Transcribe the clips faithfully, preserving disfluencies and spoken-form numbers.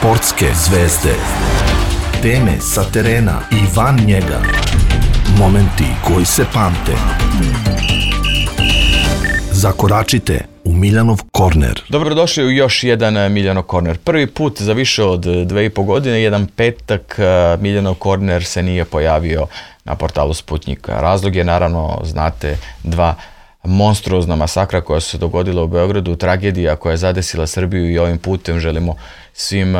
Sportske zvezde. Teme sa terena i van njega. Momenti koji se pamte. Zakoračite u Miljanov korner. Dobrodošli u još jedan Miljanov korner. Prvi put za više od dve i po godine, jedan petak, Miljanov korner se nije pojavio na portalu Sputnjika. Razlog je, naravno, znate, dva monstruozna masakra koja su se dogodila u Beogradu, tragedija koja je zadesila Srbiju, i ovim putem želimo svim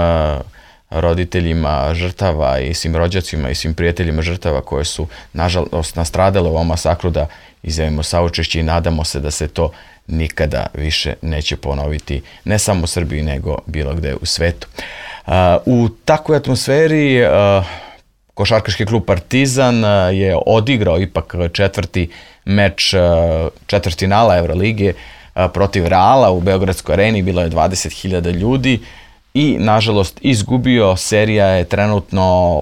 roditeljima žrtava i svim rođacima i svim prijateljima žrtava koje su nažalost nastradale u ovom masakru da izjavimo saučešće i nadamo se da se to nikada više neće ponoviti, ne samo u Srbiji nego bilo gde u svetu. U takvoj atmosferi košarkaški klub Partizan je odigrao ipak četvrti meč četvrtfinala Evrolige protiv Reala u Beogradskoj areni. Bilo je dvadeset hiljada ljudi i nažalost izgubio. Serija je trenutno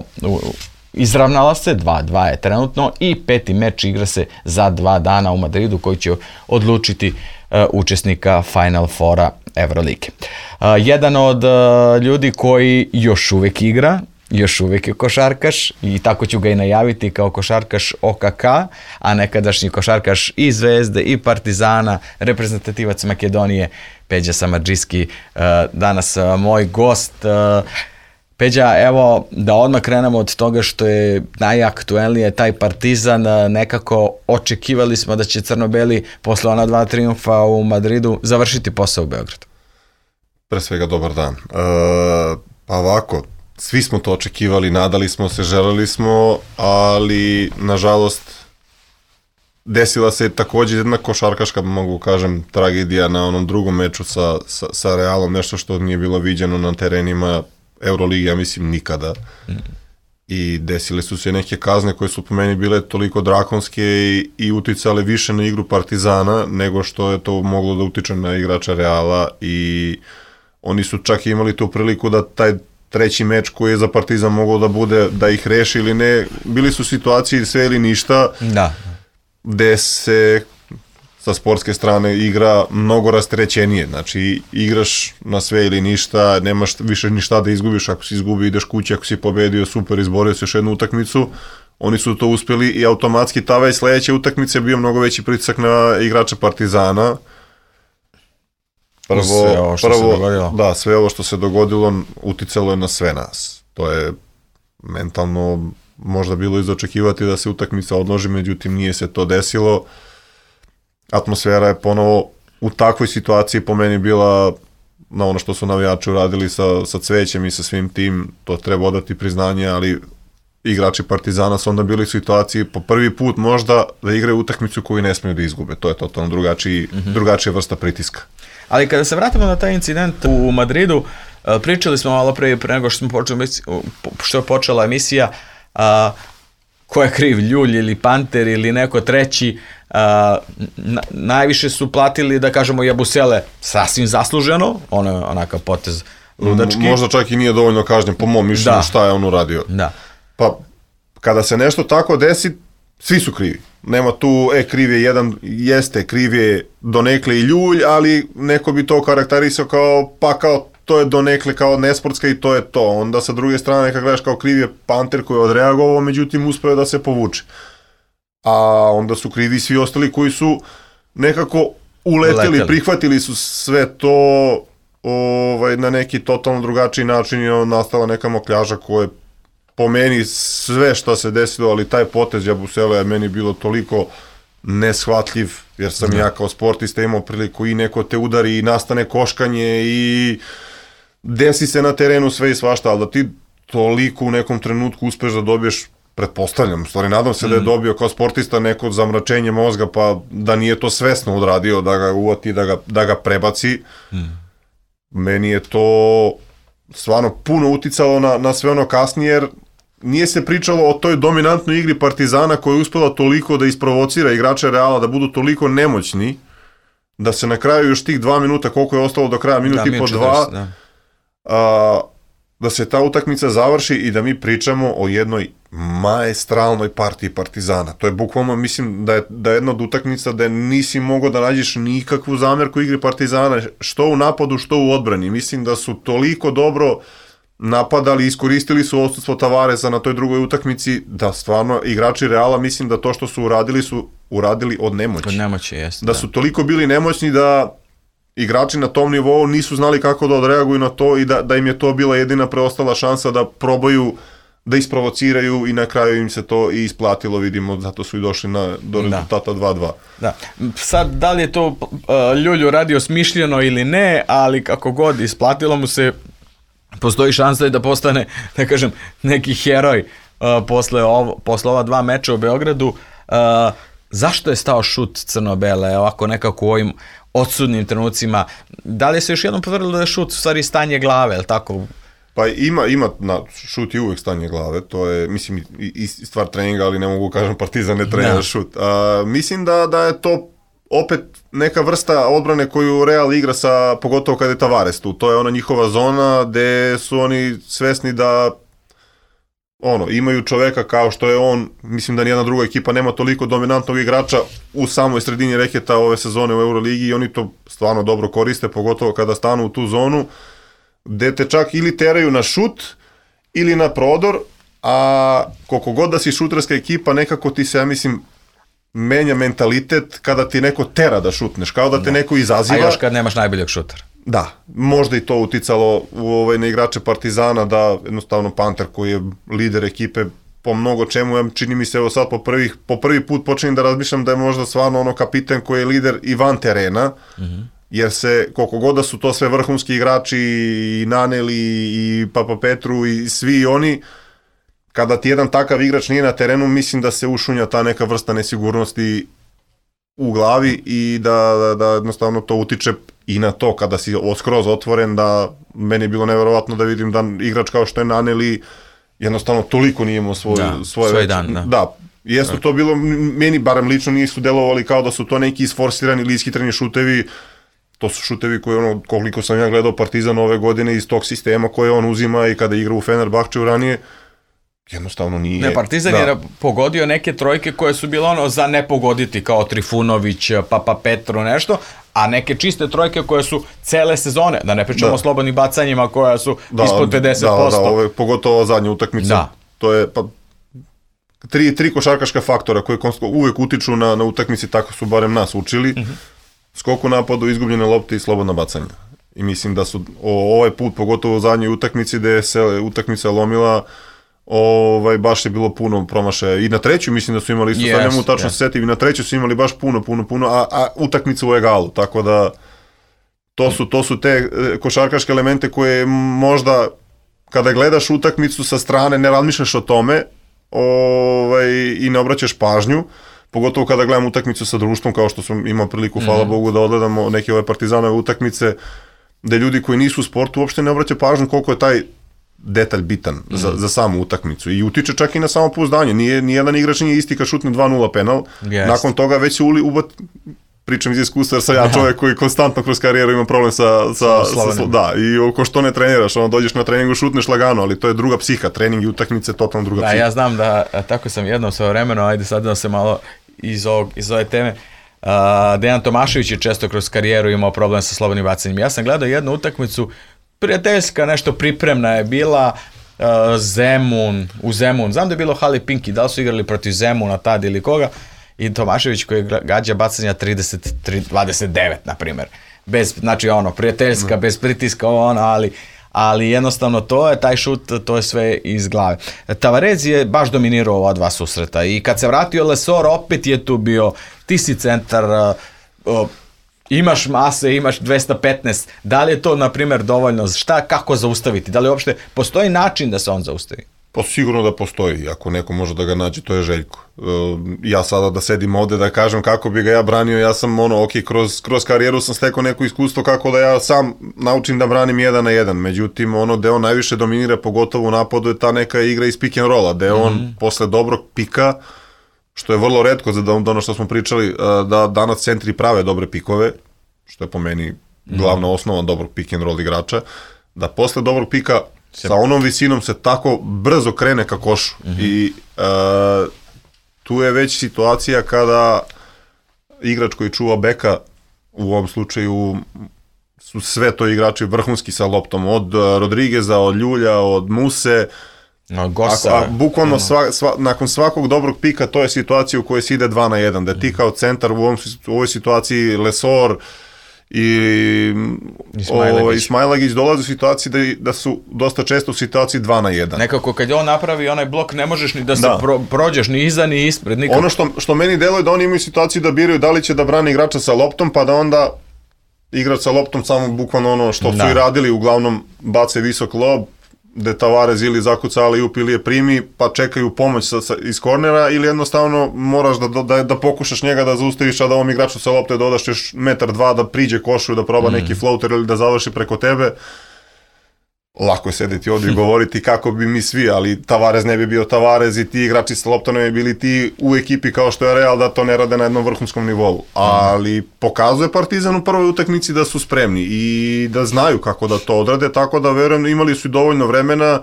izravnala se, dva dva je trenutno, i peti meč igra se za dva dana u Madridu koji će odlučiti učesnika Final Fora Evrolige. Jedan od ljudi koji još uvek igra, još uvijek je košarkaš, i tako ću ga i najaviti kao košarkaš O K K, a nekadašnji košarkaš i Zvezde i Partizana, reprezentativac Makedonije, Peđa Samardžijski, danas moj gost. Peđa, evo da odmah krenemo od toga što je najaktuelnije, taj Partizan. Nekako očekivali smo da će crno-beli posle ona dva triumfa u Madridu završiti posao u Beogradu. Pre svega dobar dan. E, pa ovako, svi smo to očekivali, nadali smo se, želeli smo, ali nažalost desila se također jedna košarkaška, mogu kažem, tragedija na onom drugom meču sa, sa, sa Realom, nešto što nije bilo viđeno na terenima Euroligi, ja mislim, nikada. Mm. I desile su se neke kazne koje su po meni bile toliko drakonske i, i uticale više na igru Partizana nego što je to moglo da utiče na igrača Reala, i oni su čak imali tu priliku da taj treći meč koji je za Partizan mogao da bude, da ih reši ili ne, bili su situacije sve ili ništa, da, gde se sa sportske strane igra mnogo rasterećenije, znači igraš na sve ili ništa, nemaš više ništa da izgubiš, ako si izgubio ideš kući, ako si pobedio super, izborio se još jednu utakmicu. Oni su to uspjeli i automatski ta već sledeća utakmica je bio mnogo veći pritisak na igrača Partizana. Prvo, sve ovo što prvo, se dogodilo. Da, sve ovo što se dogodilo uticalo je na sve nas. To je mentalno možda bilo izočekivati da se utakmica odloži, međutim nije se to desilo. Atmosfera je ponovo u takvoj situaciji po meni bila na ono što su navijači uradili sa, sa cvećem i sa svim tim, to treba odati priznanje, ali igrači Partizana su onda bili u situaciji po prvi put možda da igraju utakmicu koju ne smiju da izgube. To je totalno drugačiji, mm-hmm. drugačija vrsta pritiska. Ali kada se vratimo na taj incident u Madridu, pričali smo malo pre, pre nego što smo počeli, što je počela emisija, a, ko je kriv, Ljulj ili Panter ili neko treći. A, na, najviše su platili, da kažemo, Jabusele sasvim zasluženo, ono je onakav potez ludački. M- možda čak i nije dovoljno kažnjen, po mom mišljenju, da. Šta je on uradio. Da. Pa kada se nešto tako desi, svi su krivi. Nema tu, e, kriv je jedan, jeste, kriv je donekle i Ljulj, ali neko bi to karakterisao kao, pa kao, to je donekle kao nesportska i to je to. Onda sa druge strane, kad gledaš, kao kriv je Panter koji je odreagovao, međutim uspeo da se povuče. A onda su krivi svi ostali koji su nekako uleteli, Leteli. prihvatili su sve to ovaj, na neki totalno drugačiji način i nastala neka mokljaža koja je po meni sve što se desilo, ali taj potez Jabusele je meni bilo toliko neshvatljiv, jer sam ja kao sportista imao priliku i neko te udari i nastane koškanje i desi se na terenu sve i svašta, ali da ti toliko u nekom trenutku uspeš da dobiješ, pretpostavljam, stvari nadam se mm. da je dobio kao sportista neko zamračenje mozga, pa da nije to svesno odradio, da ga uvati, da ga, da ga prebaci. Mm. Meni je to stvarno puno uticalo na, na sve ono kasnije, jer nije se pričalo o toj dominantnoj igri Partizana koja je uspela toliko da isprovocira igrače Reala, da budu toliko nemoćni, da se na kraju još tih dva minuta, koliko je ostalo do kraja, minut i po dva, da. A, da se ta utakmica završi i da mi pričamo o jednoj maestralnoj partiji Partizana. To je bukvalno, mislim, da je, da je jedna od utakmica da nisi mogao da nađeš nikakvu zamjerku igri Partizana, što u napadu, što u odbrani. Mislim da su toliko dobro napadali, iskoristili su odsustvo Tavaresa na toj drugoj utakmici, da stvarno igrači Reala, mislim da to što su uradili su uradili od nemoći. Od nemoći, jest. Da, da su toliko bili nemoćni da igrači na tom nivou nisu znali kako da odreaguju na to i da, da im je to bila jedina preostala šansa da probaju da isprovociraju i na kraju im se to i isplatilo, vidimo, zato su i došli na, do rezultata dva dva. Da. Sad, da li je to uh, Ljulju radio smišljeno ili ne, ali kako god isplatilo mu se, postoji šansa da postane, da kažem, neki heroj uh, posle, ovo, posle ova dva meča u Beogradu. Uh, zašto je stao šut crno-bele, ovako nekako u ovim odsudnim trenucima? Da li se još jednom potvrdilo da je šut u stvari stanje glave, je li tako? Pa ima, ima na, šut je uvek stanje glave, to je, mislim, i, i stvar treninga, ali ne mogu kažem Partizan ne trenira da. šut. A, mislim da, da je to opet neka vrsta odbrane koju Real igra sa, pogotovo kada je Tavares tu. To je ona njihova zona gde su oni svesni da ono, imaju čoveka kao što je on, mislim da nijedna druga ekipa nema toliko dominantnog igrača u samoj sredini reketa ove sezone u Euroligi i oni to stvarno dobro koriste, pogotovo kada stanu u tu zonu, gde te čak ili teraju na šut ili na prodor, a koliko god da si šuterska ekipa, nekako ti se, ja mislim, menja mentalitet kada ti neko tera da šutneš, kao da te da. neko izaziva. A još kad nemaš najboljeg šutera. Da, možda i to uticalo u ovaj, na igrače Partizana, da jednostavno Panter koji je lider ekipe po mnogo čemu, ja čini mi se evo sad po, prvih, po prvi put počinjem da razmišljam da je možda stvarno ono kapiten koji je lider i van terena, mm-hmm. jer se, koliko god da su to sve vrhunski igrači, i Naneli, i Papa Petru, i svi oni, kada ti jedan takav igrač nije na terenu, mislim da se ušunja ta neka vrsta nesigurnosti u glavi i da, da, da jednostavno to utiče i na to kada si skroz otvoren, da meni je bilo neverovatno da vidim da igrač kao što je Naneli jednostavno toliko nije imao svoj, da, svoje svoj dan. Da, da jesu to bilo, meni barem lično nisu delovali kao da su to neki isforsirani ili ishitreni šutevi. To su šutevi koje, ono, koliko sam ja gledao Partizan ove godine iz tog sistema koje on uzima i kada igra u Fenerbahčeu ranije, jednostavno nije. Ne, Partizan da. je pogodio neke trojke koje su bile ono za ne pogoditi, kao Trifunović, Papa Petro, nešto, a neke čiste trojke koje su cele sezone, da ne pričamo da. o slobodnim bacanjima koja su da, ispod pedeset posto. Da, da, ove, pogotovo zadnja utakmica. Da. To je, pa, tri, tri košarkaška faktora koje uvek utiču na, na utakmici, tako su barem nas učili. Uh-huh. Skok u napadu, izgubljene lopte i slobodna bacanja. I mislim da su o, ovaj put, pogotovo u zadnjoj utakmici, gde se utakmica lomila, ovaj, baš je bilo puno promašaja. I na treću mislim da su imali isto, yes, sad ne mogu tačno yes. setim, i na treću su imali baš puno, puno, puno, a, a utakmica u egalu, tako da to su, to su te košarkaške elemente koje možda kada gledaš utakmicu sa strane ne razmišljaš o tome ovaj, i ne obraćaš pažnju, pogotovo kada gledam utakmicu sa društvom, kao što sam imao priliku, mm-hmm. hvala Bogu, da odgledamo neke ove Partizanove utakmice, gde ljudi koji nisu u sportu uopšte ne obraćaju pažnju koliko je taj detalj bitan mm-hmm. za, za samu utakmicu i utiče čak i na samopouzdanje. Nije, nijedan igrač nije isti kad šutne dva nula penal, yes. nakon toga već se uli, ubat, pričam iz iskustva jer sam ja čovjek koji konstantno kroz karijeru ima problem sa, sa, sa, sa da, i oko što ne treniraš, ono dođeš na treningu, šutneš lagano, ali to je druga psiha, trening i utakmice, totalno druga da, psiha. Ja znam da, tako sam jednom svoje vremeno, ajde sad da se malo iz, ovog, iz ove teme, uh, Dejan Tomašević je često kroz karijeru imao problem sa slobodnim bacanjem. Ja sam gledao jednu utakmicu, prijateljska, nešto pripremna je bila, uh, Zemun, u Zemun, znam da je bilo Hali Pinki, da li su igrali protiv Zemuna tad ili koga, i Tomašević koji gađa bacanja trideset tri dvadeset devet, na primjer. Bez, znači ono, prijateljska, bez pritiska, ono, ali, ali jednostavno to je, taj šut, to je sve iz glave. Tavares je baš dominirao ova dva susreta i kad se vratio Lesor, opet je tu bio, ti si centar, uh, uh, imaš mase, imaš dvesta petnaest, da li je to, na primjer, dovoljno, šta, kako zaustaviti, da li uopšte postoji način da se on zaustavi? Pa sigurno da postoji, ako neko može da ga nađe, to je Željko. Ja sada da sedim ovde da kažem kako bi ga ja branio, ja sam ono, ok, kroz, kroz karijeru sam stekao neko iskustvo kako da ja sam naučim da branim jedan na jedan, međutim ono gde on najviše dominira, pogotovo u napadu, je ta neka igra iz pick and rolla, gde on mm-hmm. posle dobrog pika, što je vrlo retko za ono što smo pričali, da danas centri prave dobre pikove, što je po meni glavna mm-hmm. osnova dobrog pick and roll igrača, da posle dobrog pika sa onom visinom se tako brzo krene ka košu. Mm-hmm. I uh, tu je već situacija kada igrač koji čuva beka, u ovom slučaju su sve to igrači vrhunski sa loptom, od Rodrigueza, od Ljulja, od Muse. No, Gosa. A, a bukvalno sva, sva, nakon svakog dobrog pika to je situacija u kojoj se ide dva na jedan, da ti kao centar u, ovom, u ovoj situaciji Lesor i Ismailagić dolaze u situaciji da, da su dosta često u situaciji dva na jedan. Nekako kad je on napravi onaj blok ne možeš ni da se da. Pro, prođeš ni iza ni ispred. Nikako. Ono što, što meni deluje da oni imaju situaciju da biraju da li će da brane igrača sa loptom pa da onda igrač sa loptom samo bukvalno ono što da. su i radili, uglavnom bace visok lob, gde Tavares ili zakuca alley-oop ili je primi, pa čekaju pomoć sa, sa, iz kornera, ili jednostavno moraš da, da, da pokušaš njega da zaustaviš, a da ovom igraču sa lopte dodaš još metar dva da priđe košu, da proba mm. neki floater ili da završi preko tebe. Lako je sedeti ovdje i govoriti kako bi mi svi, ali Tavares ne bi bio Tavares i ti igrači sa loptom ne bi bili ti u ekipi kao što je Real, da to ne rade na jednom vrhunskom nivou. Ali pokazuje Partizan u prvoj utakmici da su spremni i da znaju kako da to odrade, tako da verujem imali su dovoljno vremena,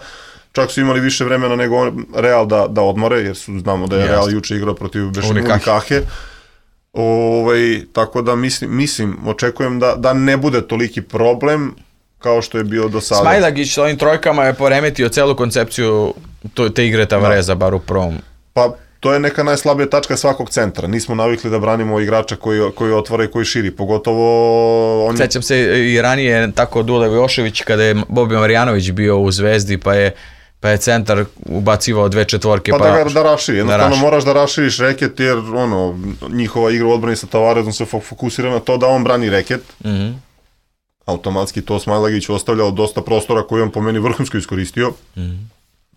čak su imali više vremena nego Real da, da odmore, jer su, znamo da je Real juče igrao protiv Unikahe. Ovaj, tako da mislim, mislim očekujem da, da ne bude toliki problem kao što je bio do sada. Smailagić s ovim trojkama je poremetio celu koncepciju to, te igre Tavareza, bar u prvom. Pa to je neka najslabija tačka svakog centra. Nismo navikli da branimo igrača koji, koji otvara i koji širi, pogotovo... On... Sećam se i ranije tako Dule Vojošević kada je Bobi Marjanović bio u Zvezdi, pa je pa je centar ubacivao dve četvorke. Pa, pa da ga da raširi, jednostavno da moraš da raširiš reket, jer ono, njihova igra u odbrani sa Tavarezom se fokusira na to da on brani reket. Mhm. Automatski to Smailagić ostavljao dosta prostora koji on po meni vrhunsko iskoristio. Mm.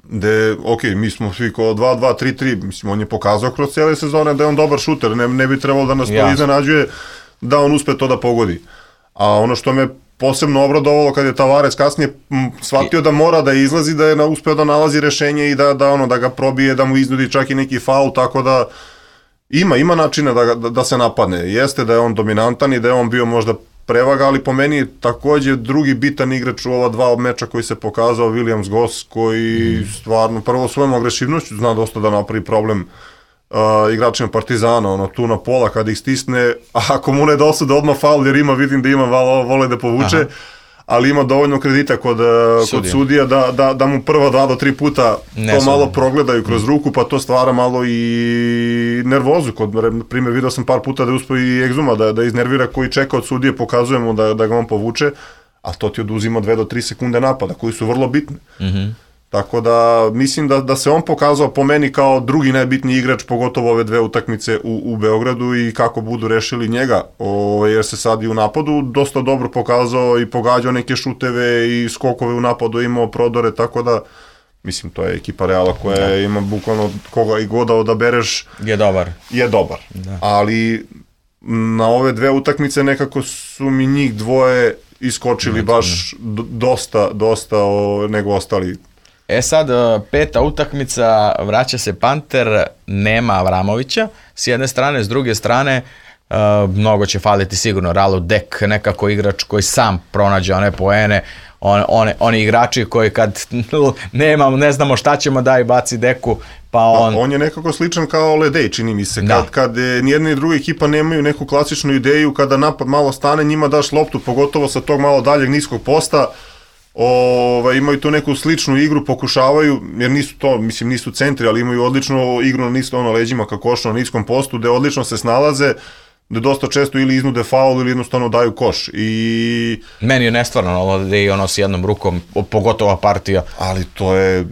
Gde, ok, mi smo svi kao dva dva tri tri, mislim, on je pokazao kroz cijele sezone da je on dobar šuter, ne, ne bi trebalo da nas to iznenađuje da on uspe to da pogodi. A ono što me posebno obradovalo kad je Tavares kasnije m, shvatio da mora da izlazi, da je na, uspeo da nalazi rešenje i da, da, ono, da ga probije, da mu iznudi čak i neki faul, tako da ima, ima načina da, da, da se napadne. Jeste da je on dominantan i da je on bio možda prevaga, ali po meni također drugi bitan igrač u ova dva meča koji se pokazao, Williams Goss, koji mm. stvarno prvo svojom agresivnošću zna dosta da napravi problem uh, igračima Partizana, ono tu na pola kad ih stisne, a ako mu ne dosude odmah faul, jer ima, vidim da ima valo, vole da povuče, aha, ali ima dovoljno kredita kod sudija, kod sudija da, da, da mu prva dva do tri puta ne to malo progledaju kroz ruku, pa to stvara malo i nervozu. Kod primjer, vidio sam par puta da je uspio i Egzuma da, da iznervira, koji čeka od sudije, pokazujemo da, da ga on povuče, a to ti oduzima dve do tri sekunde napada, koji su vrlo bitni. Mm-hmm. Tako da mislim da, da se on pokazao po meni kao drugi najbitniji igrač, pogotovo ove dve utakmice u, u Beogradu, i kako budu rešili njega, o, jer se sad i u napadu dosta dobro pokazao i pogađao neke šuteve i skokove u napadu, imao prodore, tako da mislim to je ekipa Reala koja da. ima bukvalno koga i god da odabereš je dobar. Je dobar. Da. Ali na ove dve utakmice nekako su mi njih dvoje iskočili baš dosta, dosta o, nego ostali. E sad, peta utakmica, vraća se Panter, nema Avramovića, s jedne strane, s druge strane, uh, mnogo će faliti sigurno Ralu Dek, nekako igrač koji sam pronađe one poene, on, one, oni igrači koji kad nemamo, ne znamo šta ćemo daj baci Deku, pa on... on je nekako sličan kao Ledej, čini mi se, kad, kad nijedna i druga ekipa nemaju neku klasičnu ideju, kada napad malo stane, njima daš loptu, pogotovo sa tog malo daljeg niskog posta, Ova, imaju tu neku sličnu igru, pokušavaju, jer nisu to, mislim nisu centri, ali imaju odličnu igru na nisko, ono, leđima ka košu na niskom postu, gde odlično se snalaze, gde dosta često ili iznude faul ili jednostavno daju koš. I... Meni je nestvarno ovo da je ono s jednom rukom, pogotovo partija. Ali to je,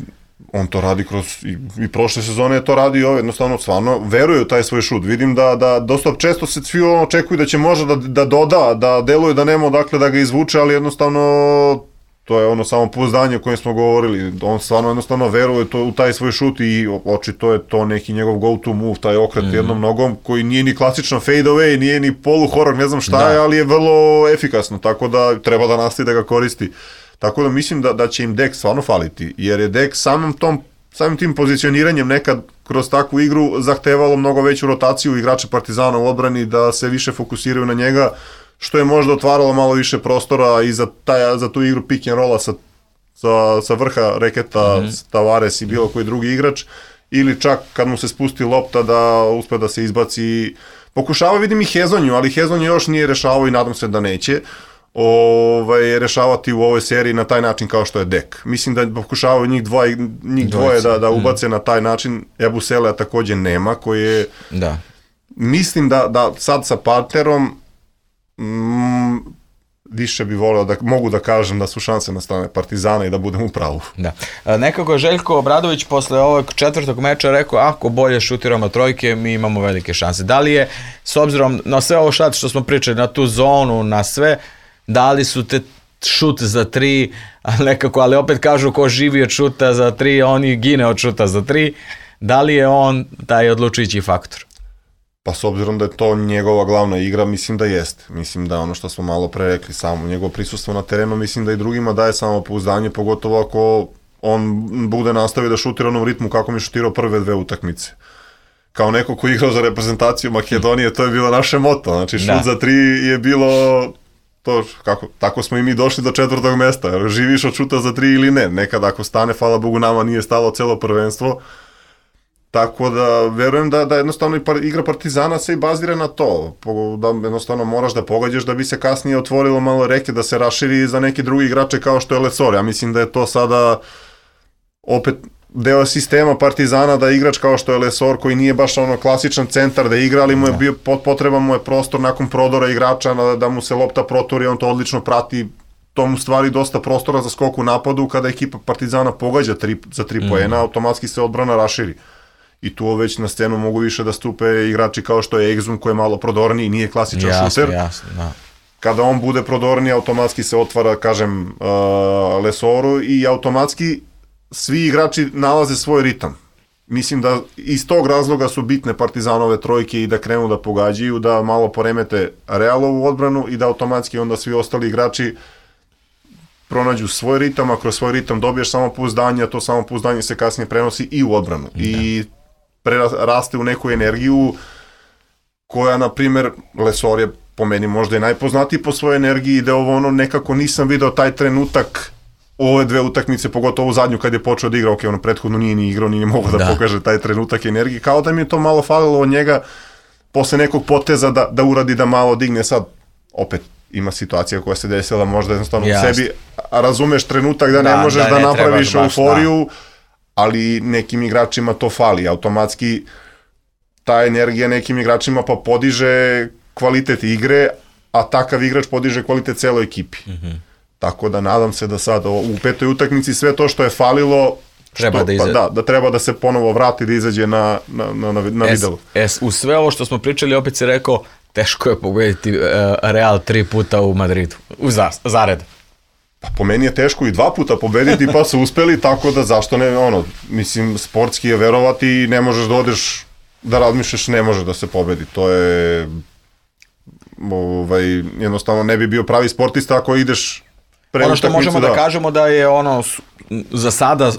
on to radi kroz, i, i prošle sezone je to radio, jednostavno stvarno veruje u taj svoj šut. Vidim da, da dosta često se svi ono očekuju da će možda da, da doda, da deluje da nema odakle da ga izvuče, ali jednostavno to je ono samo pouzdanje o kojem smo govorili. On stvarno jednostavno veruje to, u taj svoj šut i očito je to neki njegov go-to move, taj okret mm-hmm. jednom nogom, koji nije ni klasično fade away, nije ni polu-horor, ne znam šta da. je, ali je vrlo efikasno, tako da treba da nastavi da ga koristi. Tako da mislim da, da će im Dek stvarno faliti, jer je Dek samim, tom, samim tim pozicioniranjem nekad kroz takvu igru zahtevalo mnogo veću rotaciju igrača Partizana u odbrani, da se više fokusiraju na njega, što je možda otvaralo malo više prostora i za, taj, za tu igru pick and rolla sa, sa, sa vrha reketa, mm-hmm. Tavares i bilo koji drugi igrač, ili čak kad mu se spusti lopta da uspe da se izbaci. Pokušava, vidim i Hezonju, ali Hezonju još nije rešavao i nadam se da neće. ovaj, rešavati u ovoj seriji na taj način kao što je Dek. Mislim da pokušavaju njih dvoje, njih dvoje da, da ubace mm. na taj način. Ebuselea također nema, koji je... Da. Mislim da, da sad sa partnerom mm, više bi voleo da mogu da kažem da su šanse na strane Partizana i da budem u pravu. Da. Nekako je Željko Obradović posle ovog četvrtog meča rekao, ako bolje šutiramo trojke, mi imamo velike šanse. Da li je, s obzirom na sve ovo šat što smo pričali, na tu zonu, na sve, da li su te šut za tri, nekako, ali opet kažu ko živi od šuta za tri, on i gine od šuta za tri, da li je on taj odlučujući faktor? Pa s obzirom da je to njegova glavna igra, mislim da jeste. Mislim da ono što smo malo pre rekli, samo njegovo prisustvo na terenu, mislim da i drugima daje samopouzdanje, pogotovo ako on bude nastavio da šutira onom ritmu kako mi šutirao prve dve utakmice. Kao neko ko igrao za reprezentaciju Makedonije, to je bilo naše moto. Znači šut da. za tri je bilo... To, kako, tako smo i mi došli do četvrtog mesta. Živiš od šuta za tri ili ne. Nekad ako stane, hvala Bogu, nama nije stalo celo prvenstvo. Tako da verujem da, da jednostavno i par, igra Partizana se i bazira na to. Da jednostavno moraš da pogađaš da bi se kasnije otvorilo malo reke, da se raširi za neki drugi igrače kao što je Lesor. Ja mislim da je to sada opet deo sistema Partizana, da igrač kao što je Lesor, koji nije baš ono klasičan centar da igra, ali mu je bio potreban mu je prostor nakon prodora igrača da, da mu se lopta proturi, on to odlično prati. To mu stvari dosta prostora za skok u napadu. Kada ekipa Partizana pogađa tri, za tri mm. poena, automatski se odbrana raširi. I tu već na scenu mogu više da stupe igrači kao što je Exum, koji je malo prodorniji, nije klasičan jasne, šuter. Jasne, da. Kada on bude prodorniji, automatski se otvara, kažem, uh, Lesoru i automatski svi igrači nalaze svoj ritam. Mislim da iz tog razloga su bitne Partizanove trojke i da krenu da pogađaju, da malo poremete Realovu odbranu i da automatski onda svi ostali igrači pronađu svoj ritam, a kroz svoj ritam dobiješ samopouzdanje, a to samopouzdanje se kasnije prenosi i u odbranu. Da. I preraste u neku energiju koja, na primjer, Lesor je po meni možda i najpoznatiji po svojoj energiji, da ovo ono nekako nisam video taj trenutak ove dve utakmice, pogotovo zadnju kad je počeo da igra, ok, ono prethodno nije ni igrao, nije mogao da, da pokaže taj trenutak energije, kao da mi je to malo falilo od njega posle nekog poteza da, da uradi, da malo digne. Sad, opet, ima situacija koja se desila možda jednostavno u sebi, a razumeš trenutak da ne da, možeš da, da ne napraviš euforiju, da. Ali nekim igračima to fali, automatski ta energija nekim igračima pa podiže kvalitet igre, a takav igrač podiže kvalitet celoj ekipi. Mm-hmm. Tako da nadam se da sad u petoj utakmici sve to što je falilo, treba što, da, iza... pa da, da treba da se ponovo vrati, da izađe na, na, na, na, na es, videlu. Es, u sve ovo što smo pričali, opet si rekao, teško je pobediti uh, Real tri puta u Madridu, u za, zared. Pa po meni je teško i dva puta pobediti, pa su uspeli, tako da zašto ne, ono, mislim, sportski je verovati i ne možeš da odeš, da razmišljaš, ne može da se pobedi, to je, ovaj, jednostavno ne bi bio pravi sportista ako ideš pre ono što možemo da. da kažemo da je ono, za sada,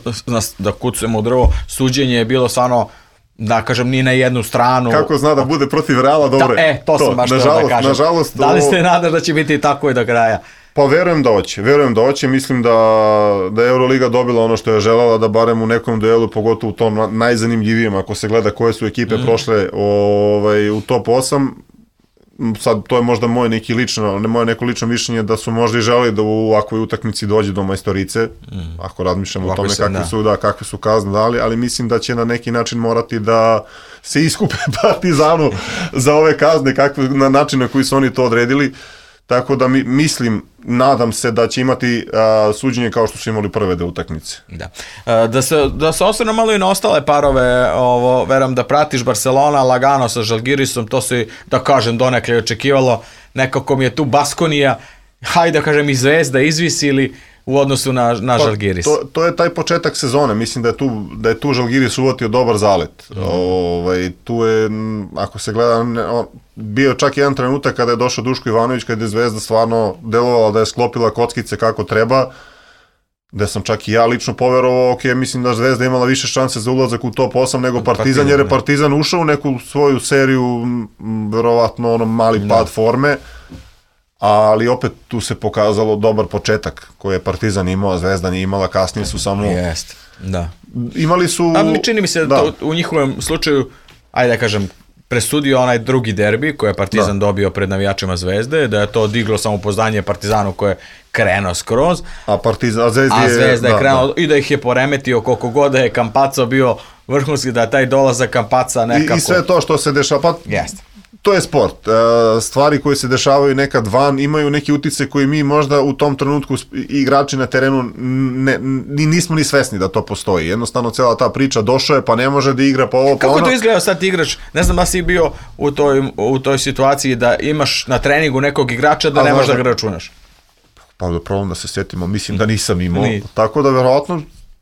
da kucujemo u drvo, suđenje je bilo stvarno, da kažem, ni na jednu stranu. Kako zna da bude protiv Reala, dobro. Da, e, to, to sam baš nažalost, da kažem. Nažalost, da li ste nadaš da će biti tako i do kraja? Pa verujem da hoće, verujem da hoće, mislim da, da je Euroliga dobila ono što je želela, da barem u nekom duelu, pogotovo u tom najzanimljivijem, ako se gleda koje su ekipe mm. prošle ovaj, u top osam, sad to je možda moje neki lično, ne moje neko lično mišljenje da su možda i želeli da u ovakvoj utakmici dođe do majstorice, mm. ako razmišljamo o tome kakve su, da, kakve su kazne dali, ali mislim da će na neki način morati da se iskupe Partizanu za ove kazne, kakve, na način na koji su oni to odredili. Tako da mi, mislim, nadam se da će imati a, suđenje kao što su imali prve dve utakmice. Da. A, da se, da se osvrnu malo i na ostale parove, ovo, verujem da pratiš Barcelona, lagano sa Žalgirisom, to se, da kažem, donekle očekivalo, nekako mi je tu Baskonija, hajde da kažem i Zvezda izvisili u odnosu na, na pa, Žalgiris. To, to je taj početak sezone, mislim da je tu, da je tu Žalgiris uvatio dobar zalet. Mm. Ovaj, tu je, ako se gleda, on, bio čak jedan trenutak kada je došao Duško Ivanović, kada je Zvezda stvarno delovala da je sklopila kockice kako treba, gde sam čak i ja lično poverovao, ok, mislim da Zvezda imala više šanse za ulazak u top osam nego Partizan, jer je Partizan ušao u neku svoju seriju, verovatno ono mali pad no. forme, ali opet tu se pokazalo dobar početak koji je Partizan imao, a Zvezda nije imala, kasnije su samo... Jest, da. Imali su... A mi čini mi se da to, u njihovom slučaju, ajde da kažem, presudio onaj drugi derbi koji je Partizan da. dobio pred navijačima Zvezde, da je to diglo samopouzdanje Partizanu koje je krenuo skroz, a, Partizan, a, Zvezdi a Zvezda je, je krenuo da, i da ih je poremetio koliko god da je Campazzo bio vrhunski, da je taj dolazak Campazza nekako... I, I sve to što se dešava, pa Jeste. To je sport. Stvari koje se dešavaju nekad van imaju neki utjecaj koji mi možda u tom trenutku igrači na terenu ne, ni, nismo ni svesni da to postoji. Jednostavno cijela ta priča došao je pa ne može da igra pa ovo pa Kako ono. to izgleda sad igrač? Ne znam da si bio u toj, u toj situaciji da imaš na treningu nekog igrača da a, ne možeš da ga računaš. Pa da problem da se sjetimo, mislim da nisam imao. Ni. Tako da verovatno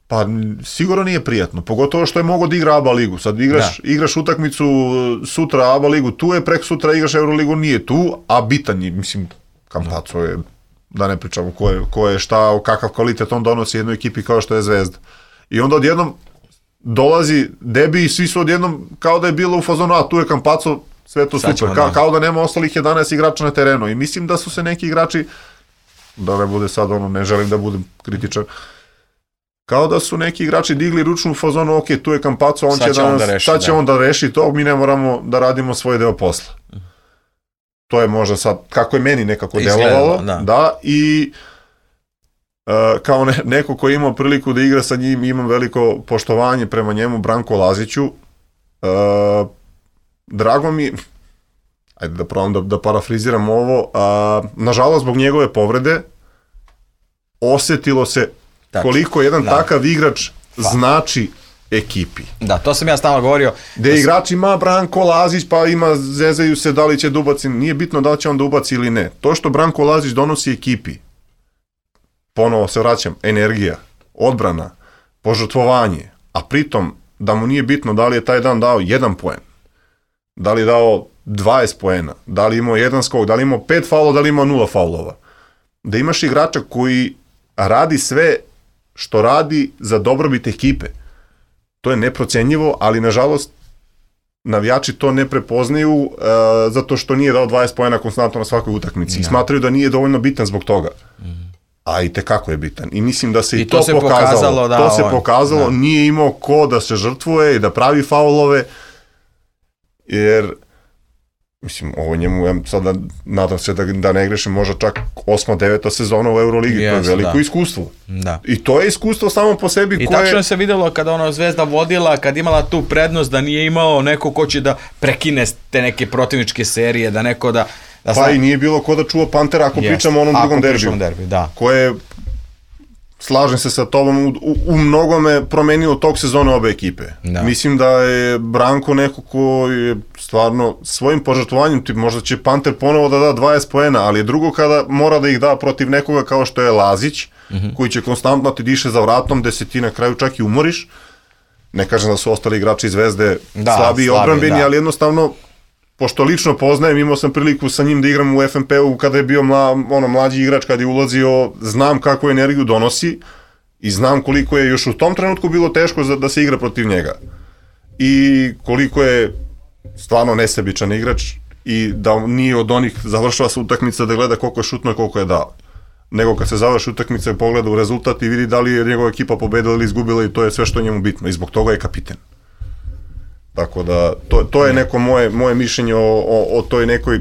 pa sigurno nije prijatno, pogotovo što je mogo da igra A B A ligu. Sad igraš, igraš utakmicu sutra A B A ligu, tu je, prek sutra igraš Euroligu, nije tu, a bitan je, mislim, Campazzo je, da ne pričamo ko je, ko je šta, kakav kvalitet on donosi jednoj ekipi kao što je Zvezda. I onda odjednom dolazi debi i svi su odjednom kao da je bilo u fazonu, a tu je Campazzo, sve to super, Ka, kao da nema ostalih jedanaest igrača na terenu. I mislim da su se neki igrači, da ne bude sad ono, ne želim da budem kritičan, kao da su neki igrači digli ručnu fazonu, ok, tu je Campazzo, on sad će, danas, da reši, sad će da. on da reši to, mi ne moramo da radimo svoj deo posla. To je možda sad, kako je meni nekako delovalo, da. da, i uh, kao ne, neko ko je imao priliku da igra sa njim, imam veliko poštovanje prema njemu, Branko Laziću, uh, drago mi, ajde da probam da, da parafriziram ovo, uh, nažalost zbog njegove povrede, osetilo se Tačno. koliko jedan da. takav igrač pa. znači ekipi. Da, to sam ja stalno govorio. Gde da igrač ima Branko Lazić, pa ima, zezaju se da li će da ubaci, nije bitno da li će on da ubaci ili ne. To što Branko Lazić donosi ekipi, ponovo se vraćam, energija, odbrana, požrtvovanje, a pritom da mu nije bitno da li je taj dan dao jedan poen, da li je dao dvadeset poena, da li imao jedan skok, da li imao pet faulova, da li imao nula faulova. Da imaš igrača koji radi sve što radi za dobrobit ekipe. To je neprocenjivo, ali nažalost navijači to ne prepoznaju uh, zato što nije dao dvadeset poena konstantno na svakoj utakmici. I smatraju da nije dovoljno bitan zbog toga. A i tekako je bitan. I mislim da se i, i to, to se pokazalo. pokazalo da, to se on, pokazalo, da. Nije imao ko da se žrtvuje i da pravi faulove, jer mislim, ovo njemu, ja sada nadam se da, da ne grešim, možda čak osma, deveta sezona u Euroligi, yes, to je veliko da. iskustvo. Da. I to je iskustvo samo po sebi I koje... I tačno se videlo kada ono Zvezda vodila, kad imala tu prednost da nije imao neko ko će da prekine te neke protivničke serije, da neko da... da pa zna... i nije bilo ko da čuva Pantera ako yes. pričamo o onom drugom derbiju. derbi, da. Koje, slažem se sa tobom, u, u mnogome promenilo tog sezone obe ekipe. Da. Mislim da je Branko neko ko je stvarno svojim požrtvovanjem, možda će Panter ponovo da da dvadeset poena, ali je drugo kada mora da ih da protiv nekoga kao što je Lazić, mm-hmm. koji će konstantno ti diše za vratom, gde se ti na kraju čak i umoriš. Ne kažem da su ostali igrači Zvezde da, slabi i odbrambeni, da. ali jednostavno, pošto lično poznajem, imao sam priliku sa njim da igram u F N P-u kada je bio mla, ono, mlađi igrač, kada je ulazio, znam kakvu energiju donosi i znam koliko je još u tom trenutku bilo teško za, da se igra protiv njega. I koliko je stvarno nesebičan igrač i da nije od onih završava se utakmica da gleda koliko je šutno i koliko je dao. Nego kad se završi utakmica i pogleda u rezultat i vidi da li je njegova ekipa pobedila ili izgubila i to je sve što je njemu bitno i zbog toga je kapiten. Tako da, to, to je neko moje, moje mišljenje o, o, o toj nekoj,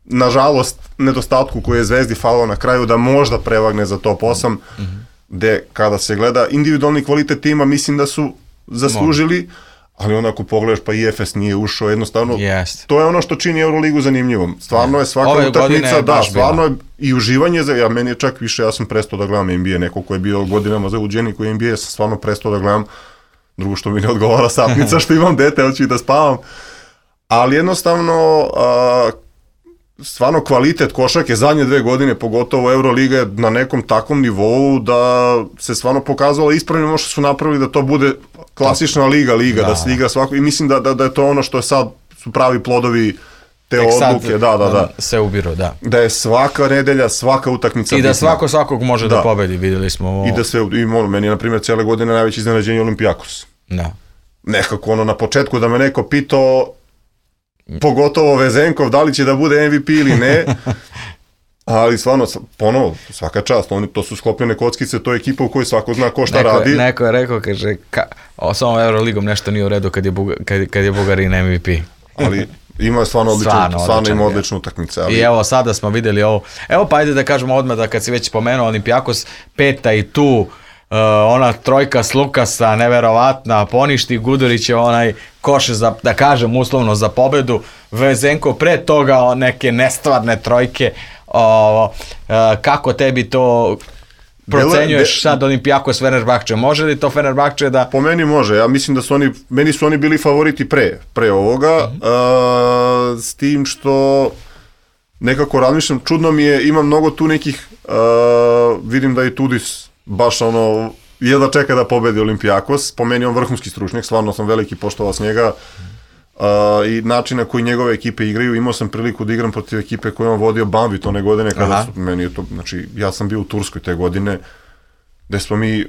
nažalost, nedostatku koji je Zvezdi falilo na kraju da možda prevagne za top osam, mm-hmm. gde kada se gleda individualni kvalitet tima, mislim da su zaslužili, ali onda ako pogledaš pa I F S nije ušao, jednostavno, yes. to je ono što čini Euroligu zanimljivom. Stvarno je svaka Ove utakmica, da, stvarno je i uživanje, za, ja meni je čak više, ja sam prestao da gledam N B A, neko ko je bio godinama zauđeni koji je N B A, sam stvarno prestao da gledam. Drugo što mi ne odgovara sapnica, što imam dete, hoću i da spavam. Ali jednostavno, a, stvarno kvalitet košarke zadnje dve godine, pogotovo Euroliga je na nekom takvom nivou da se stvarno pokazalo ispravno što su napravili da to bude klasična liga, liga, da, da se igra svako. I mislim da, da, da je to ono što je sad su pravi plodovi te Tek odluke, sad, da, da, da. Se ubiru, da. Da je svaka nedelja, svaka utakmica i da bitna. Svako svakog može da, da pobedi, vidjeli smo ovo. I da se, i ono, meni je na primjer cijele godine najveće iznenađenje Olimpijakos. Da. Nekako ono na početku da me neko pitao, pogotovo Vezenkov, da li će da bude M V P ili ne, ali stvarno, ponovo, svaka čast, oni, to su sklopljene kockice, to je ekipa u kojoj svako zna ko šta neko, radi. Neko je rekao, kaže, ka, o, s ovom Euroligom nešto nije u redu kad je, Buga, kad, kad je Bugarin M V P. ali ima stvarno odličnu, stvarno, stvarno ima odličnu utakmicu. Ali... I evo sada smo vidjeli ovo, evo pa ajde da kažemo odmah da kad si već spomenuo Olimpijakos, peta i tu, uh, ona trojka s Lukasa, neverovatna, poništi Gudurić je onaj koš za, da kažem uslovno za pobedu, Vezenko pre toga neke nestvarne trojke, uh, uh, kako tebi to... procenjuješ sad Olimpijakos Fenerbahče, može li to Fenerbahče da... Po meni može, ja mislim da su oni, meni su oni bili favoriti pre, pre ovoga, mm-hmm. uh, s tim što nekako razmišljam, čudno mi je, ima mnogo tu nekih, uh, vidim da i Tudis baš ono, jedva čeka da pobedi Olimpijakos, po meni on vrhunski stručnjak, stvarno sam veliki poštovao s njega, Uh, i način na koji njegove ekipe igraju, imao sam priliku da igram protiv ekipe koju on vodio Banvit one godine, kada su, meni je to, znači, ja sam bio u Turskoj te godine, gde smo mi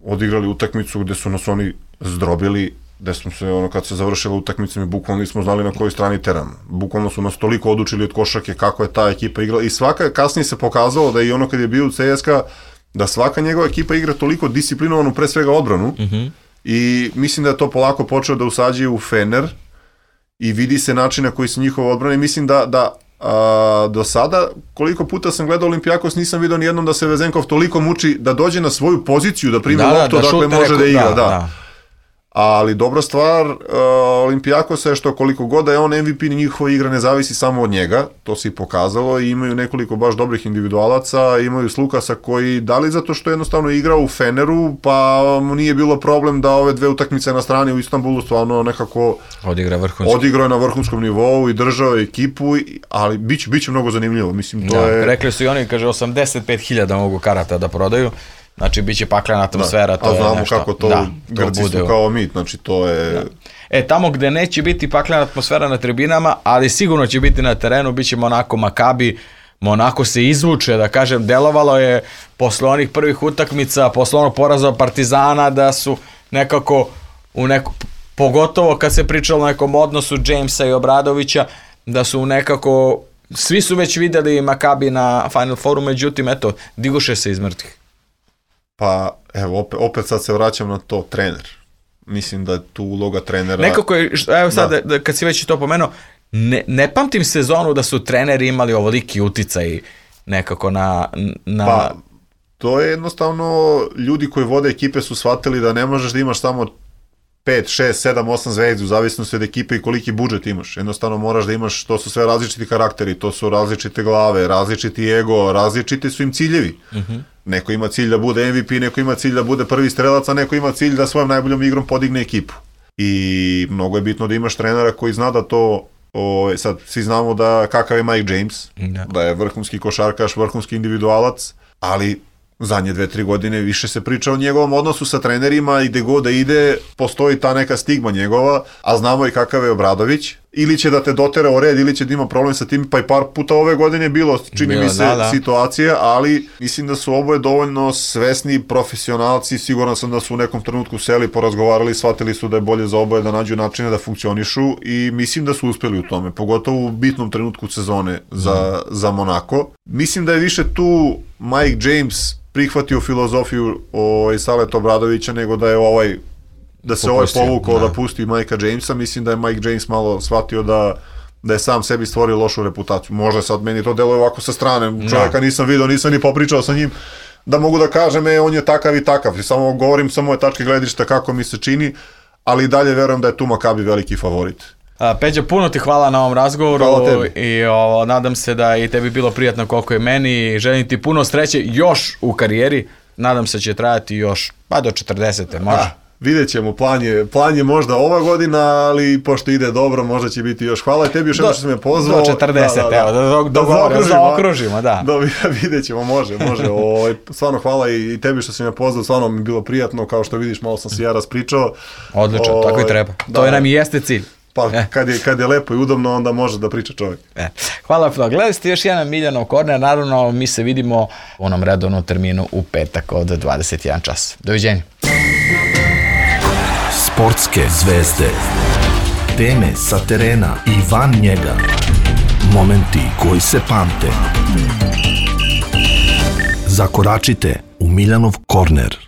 odigrali utakmicu gde su nas oni zdrobili, gde smo se, ono, kad se završila utakmica, mi bukvalno nismo znali na kojoj strani teramo. Bukvalno su nas toliko odučili od košarke kako je ta ekipa igrala i svaka, kasnije se pokazalo da i ono kad je bio u C S K A, da svaka njegova ekipa igra toliko disciplinovanu, pre svega odbranu, mm-hmm. I mislim da je to polako počeo da usađuje u Fener i vidi se način na koji su njihove odbrane. Mislim da, da a, do sada, koliko puta sam gledao Olimpijakos, nisam vidio nijednom da se Vezenkov toliko muči da dođe na svoju poziciju, da primi loptu, da, dakle može reku, da igra. Da, da. Da. Ali dobra stvar uh, Olimpijakosa je što koliko god da je on M V P, njihova igra ne zavisi samo od njega, to se i pokazalo i imaju nekoliko baš dobrih individualaca, imaju Lukasa koji, da li zato što je jednostavno igrao u Feneru, pa mu nije bilo problem da ove dve utakmice na strani u Istanbulu stvarno nekako odigra vrhunski. Odigrao je na vrhunskom nivou i držao je ekipu, ali biće, biće mnogo zanimljivo, mislim, to da, je... Rekli su i oni, kaže, osamdeset pet hiljada mogu karata da prodaju. Znači, bit će paklena atmosfera, da, to je nešto. A znamo kako to, da, Grci to su kao mi, znači to je... Da. E, tamo gde neće biti paklena atmosfera na tribinama, ali sigurno će biti na terenu, bit će Monako Makabi, Monako se izvuče, da kažem, delovalo je posle onih prvih utakmica, posle onog poraza Partizana, da su nekako, u neko, pogotovo kad se pričalo o nekom odnosu Jamesa i Obradovića, da su nekako, svi su već videli Makabi na Final Fouru, međutim, eto, diguše se iz mrtvih. Pa, evo, opet, opet sad se vraćam na to, trener. Mislim da je tu uloga trenera... Nekako je, evo sad, da. Da, kad si već to pomenuo, ne, ne pamtim sezonu da su treneri imali ovoliki uticaj nekako na... na... Pa, to je jednostavno, ljudi koji vode ekipe su shvatili da ne možeš da imaš samo pet, šest, sedam, osam zvezdi u zavisnosti od ekipe i koliki budžet imaš. Jednostavno moraš da imaš, to su sve različiti karakteri, to su različite glave, različiti ego, različiti su im ciljevi. Uh-huh. Neko ima cilj da bude M V P, neko ima cilj da bude prvi strelac, a neko ima cilj da svojom najboljom igrom podigne ekipu. I mnogo je bitno da imaš trenera koji zna da to, o, sad svi znamo da kakav je Mike James, da, da je vrhunski košarkaš, vrhunski individualac, ali zadnje dve, tri godine više se priča o njegovom odnosu sa trenerima i gde god da ide, postoji ta neka stigma njegova, a znamo i kakav je Obradović. Ili će da te dotera o red, ili će da ima problem sa tim, pa i par puta ove godine bilo, čini bilo, mi se, da, da. situacije, ali mislim da su oboje dovoljno svesni profesionalci, siguran sam da su u nekom trenutku seli, porazgovarali, shvatili su da je bolje za oboje da nađu načine da funkcionišu i mislim da su uspeli u tome, pogotovo u bitnom trenutku sezone za, mm. za Monako. Mislim da je više tu Mike James prihvatio filozofiju o Saleta Obradovića nego da je ovaj da se Popustio, ovaj povukao da. da pusti Mikea Jamesa. Mislim da je Mike James malo shvatio da, da je sam sebi stvorio lošu reputaciju. Možda sad meni to deluje ovako sa strane, čovjeka nisam vidio, nisam ni popričao sa njim, da mogu da kažem, e, on je takav i takav. Samo govorim sa moje tačke gledišta kako mi se čini, ali i dalje verujem da je tu Makabi veliki favorit. A, Peđa, puno ti hvala na ovom razgovoru i o, nadam se da i tebi bilo prijatno koliko je meni i želim ti puno sreće još u karijeri. Nadam se će trajati još pa do četrdesete može. A. Vidjet ćemo, plan je, plan je možda ova godina, ali pošto ide dobro, možda će biti još. Hvala i tebi još jedno što si me pozvao. Do četrdeset, da, da, evo, da, da, da, da zaokružimo, da. da. Vidjet ćemo, može, može. O, stvarno hvala i tebi što si me pozvao, stvarno mi je bilo prijatno, kao što vidiš, malo sam se ja raspričao. Odlično, o, tako i treba. To da, nam i jeste cilj. Pa kad je, kad je lepo i udobno, onda može da priča čovjek. E. Hvala puno. Gledali ste još jedan Miljanov korner, naravno mi se vidimo u onom redovnom terminu u petak od dvadeset jedan čas. Doviđenja. Sportske zvezde, teme sa terena i van njega, momenti koji se pamte. Zakoračite u Miljanov korner.